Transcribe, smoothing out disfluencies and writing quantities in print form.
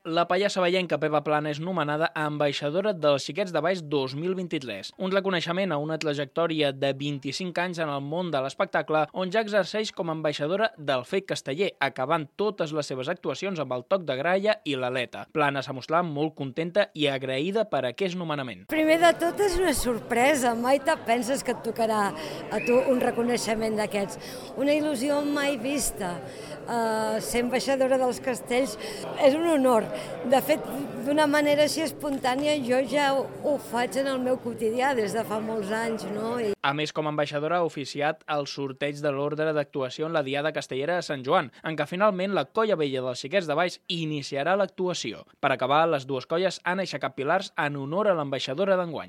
La pallassa vallenca Pepa Plana és nomenada ambaixadora dels Xiquets de Valls 2023, un reconeixement a una trajectòria de 25 anys en el món de l'espectacle, on ja exerceix com a ambaixadora del FEIC casteller, acabant totes les seves actuacions amb el toc de gralla i l'aleta. Plana s'ha mostrat molt contenta i agraïda per aquest nomenament. Primer de tot és una sorpresa, mai te penses que et tocarà a tu un reconeixement d'aquests. Una il·lusió mai vista. Ser ambaixadora dels castells és un honor. De fet, d'una manera així espontània, jo ja ho faig en el meu quotidià des de fa molts anys, no? A més, com a ambaixadora ha oficiat el sorteig de l'ordre d'actuació en la Diada Castellera de Sant Joan, en què finalment la Colla Vella dels Xiquets de Valls iniciarà l'actuació. Per acabar, les dues colles han aixecat pilars en honor a l'ambaixadora d'enguany.